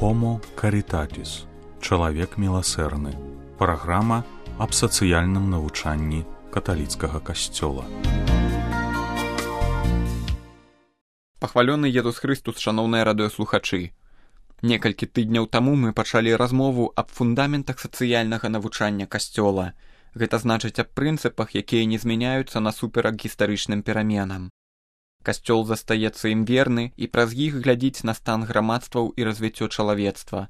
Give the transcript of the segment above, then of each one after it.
Homo Caritatis. Чалавек міласэрны. Праграма аб сацыяльным навучанні каталіцкага касцёла. Пахвалёны Езус Хрыстус, шаноўныя радыёслухачы. Некалькі тыдняў таму мы пачалі размову аб фундаментах сацыяльнага навучання касцёла. Гэта значыць аб прынцыпах, якія не змяняюцца насуперак гістарычным пераменам. Касцёл застаецца ім верны і праз іх глядзіць на стан грамадстваў і развіццё чалавецтва.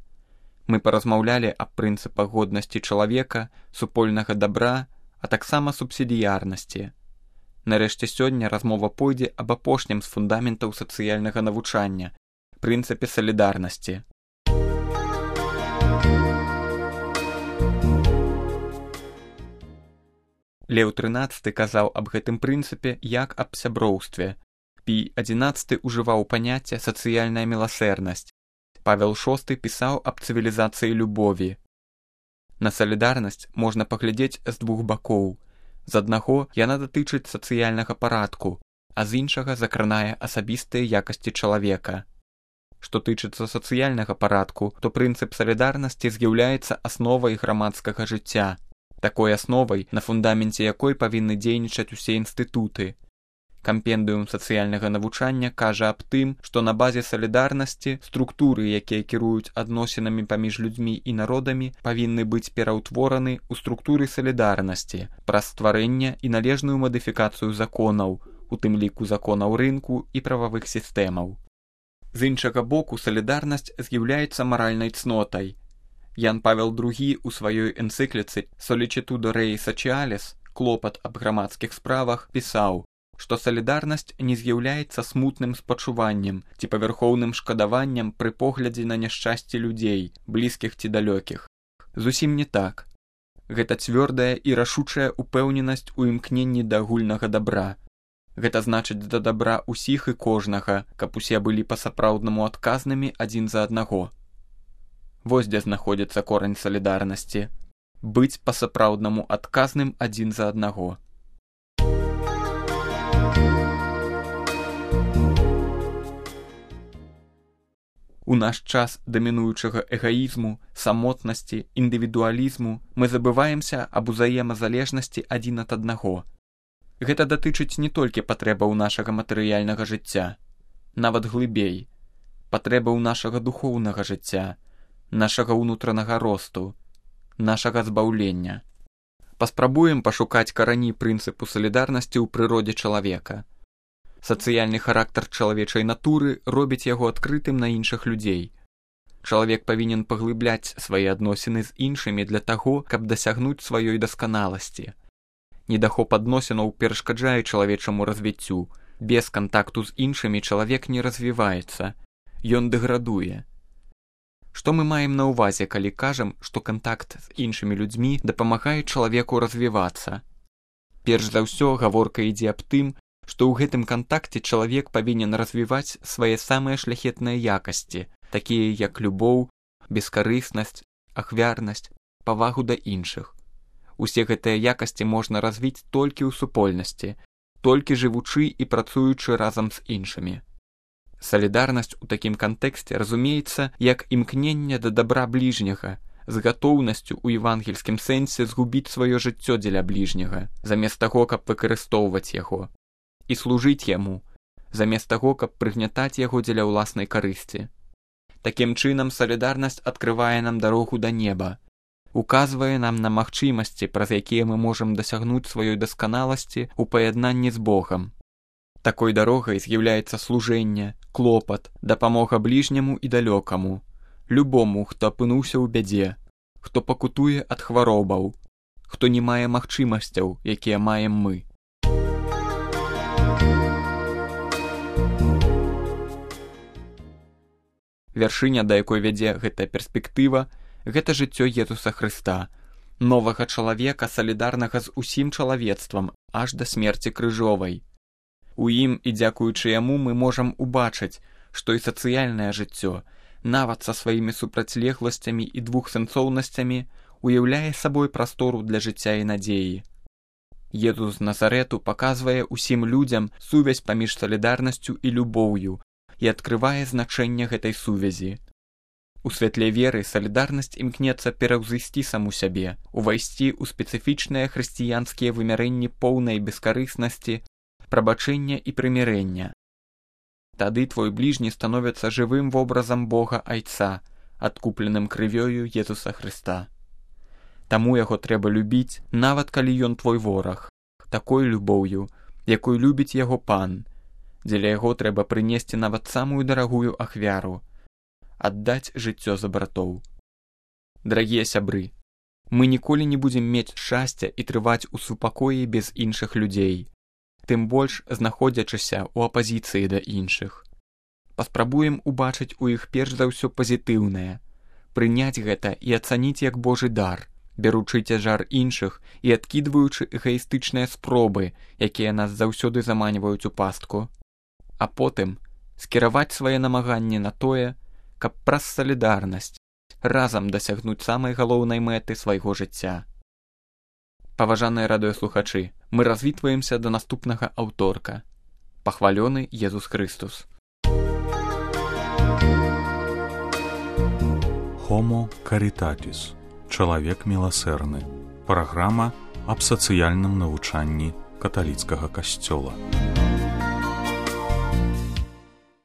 Мы паразмаўлялі аб прынцыпах годнасці чалавека, супольнага дабра, а таксама субсідыярнасці. Нарэшце сёння размова пойдзе аб апошнім з фундаментаў сацыяльнага навучання – прынцыпе салідарнасці. Леў XIII казаў аб гэтым прынцыпе як аб сяброўстве. Пій XI ўжываў паняцце сацыяльная міласэрнасць. Павел VI пісаў аб цывілізацыі любові. На салідарнасць можна паглядзець з двух бакоў. З аднаго яна датычыць сацыяльнага парадку, а з іншага закранае асабістыя якасці чалавека. Што тычыцца сацыяльнага парадку, то прынцып салідарнасці з'яўляецца асновай грамадскага жыцця. Такой асновай, на фундаменце якой павінны дзейнічаць усе інстытуты. Кампендыум сацыяльнага навучання кажа аб тым, што на базе салідарнасці структуры, якія кіруюць адносінамі паміж людзьмі і народамі, павінны быць пераўтвораны ў структуры салідарнасці праз стварэнне і належную мадыфікацыю законаў, у тым ліку законаў рынку і прававых сістэмаў. З іншага боку, салідарнасць з'яўляецца маральнай цнотай. Ян Павел II у сваёй энцыкліцы «Sollicitudo Rei Socialis» «Клопат аб грамадскіх справах» пісаў, што салідарнасць не з'яўляецца смутным спачуваннем ці павярхоўным шкадаваннем пры поглядзе на няшчасце людзей, блізкіх ці далёкіх. Зусім не так. Гэта цвёрдая і рашучая упэўненасць у імкненні да агульнага дабра. Гэта значыць да дабра ўсіх і кожнага, каб усе былі па-сапраўднаму адказнымі адзін за аднаго. Вось дзе знаходзіцца корань салідарнасці. Быць па-сапраўднаму адказным адзін за аднаго. У наш час дамінуючага эгаізму, самотнасці, індывідуалізму мы забываемся аб узаемазалежнасці адзін ад аднаго. Гэта датычыць не толькі патрэбаў нашага матэрыяльнага жыцця, нават глыбей, патрэбаў нашага духоўнага жыцця, нашага ўнутранага росту, нашага збаўлення. Паспрабуем пашукаць карані прынцыпу салідарнасці ў прыродзе чалавека. Сацыяльны характар чалавечай натуры робіць яго адкрытым на іншых людзей. Чалавек павінен паглыбляць свае адносіны з іншымі для таго, каб дасягнуць сваёй дасканаласці. Недахоп адносінаў перашкаджае чалавечаму развіццю. Без кантакту з іншымі чалавек не развіваецца. Ён дэградуе. Што мы маем на ўвазе, калі кажам, што кантакт з іншымі людзьмі дапамагае чалавеку развівацца? Перш за ўсё гаворка ідзе аб тым, што ў гэтым кантакце чалавек павінен развіваць свае самыя шляхетныя якасці, такія як любоў, бескарыснасць, ахвярнасць, павагу да іншых. Усе гэтыя якасці можна развіць толькі ў супольнасці, толькі жывучы і працуючы разам з іншымі. Салідарнасць у такім кантэксце разумеецца як імкненне да дабра бліжняга, з гатоўнасцю ў евангельскім сэнсе згубіць сваё жыццё дзеля бліжняга, замест таго, каб выкарыстоўваць яго, і служыць яму, замест таго, каб прыгнятаць яго дзеля ўласнай карысці. Такім чынам салідарнасць адкрывае нам дарогу да неба, указвае нам на магчымасці, праз якія мы можам дасягнуць сваёй дасканаласці ў паяднанні з Богам. Такой дарогай з'яўляецца служэнне, клопат, дапамога бліжняму і далёкаму, любому, хто апынуўся ў бядзе, хто пакутуе ад хваробаў, хто не мае магчымасцяў, якія маем мы. Вяршыня, да якой вядзе гэтая перспектыва, гэта жыццё Езуса Хрыста, новага чалавека, салідарнага з усім чалавецтвам, аж да смерці крыжовай. У ім і дзякуючы яму мы можам убачыць, што і сацыяльнае жыццё, нават са сваімі супрацьлегласцямі і двухсэнсоўнасцямі, уяўляе сабой прастору для жыцця і надзеі. Езус з Назарэту паказвае ўсім людзям сувязь паміж салідарнасцю і любоўю і адкрывае значэнне гэтай сувязі. У святле веры салідарнасць імкнецца пераўзысці саму сябе, увайсці ў спецыфічныя хрысціянскія вымярэнні поўнай бескарыснасці, прабачэння і прымірэння. Тады твой бліжні становіцца жывым вобразам Бога Айца, адкупленым крывёю Езуса Хрыста. Таму яго трэба любіць, нават калі ён твой вораг, такой любоўю, якой любіць яго пан. Дзеля яго трэба прынесці нават самую дарагую ахвяру, аддаць жыццё за братоў. Дарагія сябры, мы ніколі не будзем мець шчасця і трываць у супакоі без іншых людзей, тым больш знаходзячыся ў апазіцыі да іншых. Паспрабуем убачыць у іх перш за ўсё пазітыўнае, прыняць гэта і ацаніць як Божы дар, бяручы цяжар іншых і адкідваючы эгаістычныя спробы, якія нас заўсёды заманьваюць у пастку. А потым скіраваць свае намаганні на тое, каб праз салідарнасць разам дасягнуць самай галоўнай мэты свайго жыцця. Паважаныя радыёслухачы, мы развітваемся да наступнага аўторка. Пахвалёны Езус Хрыстус. Homo Caritatis. Чалавек міласэрны. Праграма аб сацыяльным навучанні каталіцкага касцёла.